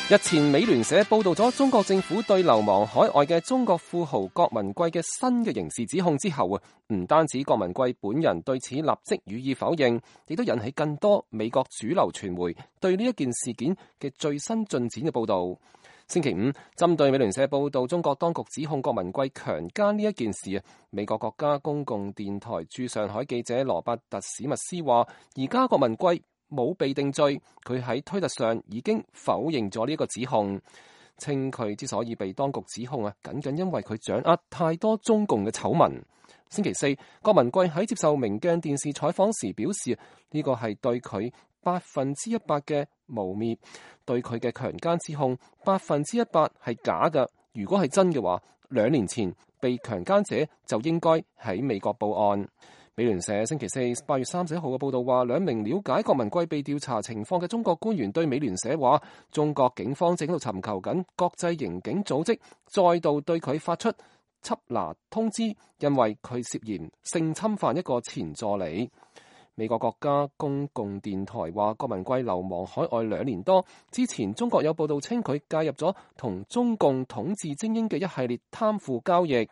日前，美聯社報道咗中國政府對流亡海外嘅中國富豪郭文貴嘅新嘅刑事指控之後唔單止郭文貴本人對此立即予以否認，亦都引起更多美國主流傳媒對呢一件事件嘅最新進展嘅報道。星期五，針對美聯社報道中國當局指控郭文貴強姦呢一件事美國國家公共電台駐上海記者羅伯特史密斯話，而家郭文貴冇被定罪，佢喺推特上已經否認咗呢個指控，稱佢之所以被當局指控僅僅因為佢掌握太多中共嘅醜聞。星期四，郭文貴喺接受明鏡電視採訪時表示，呢個係對佢100%嘅誣衊，對佢嘅強姦指控100%係假嘅。如果係真嘅話，2年前被強姦者就應該喺美國報案。美聯社星期四8月31號嘅報道話，2名了解郭文貴被調查情況嘅中國官員對美聯社話，中國警方正喺度尋求緊國際刑警組織再度對佢發出緝拿通知，因為佢涉嫌性侵犯一個前助理。美國國家公共電台話，郭文貴流亡海外2年多，之前中國有報道稱佢介入咗同中共統治精英嘅一系列貪腐交易。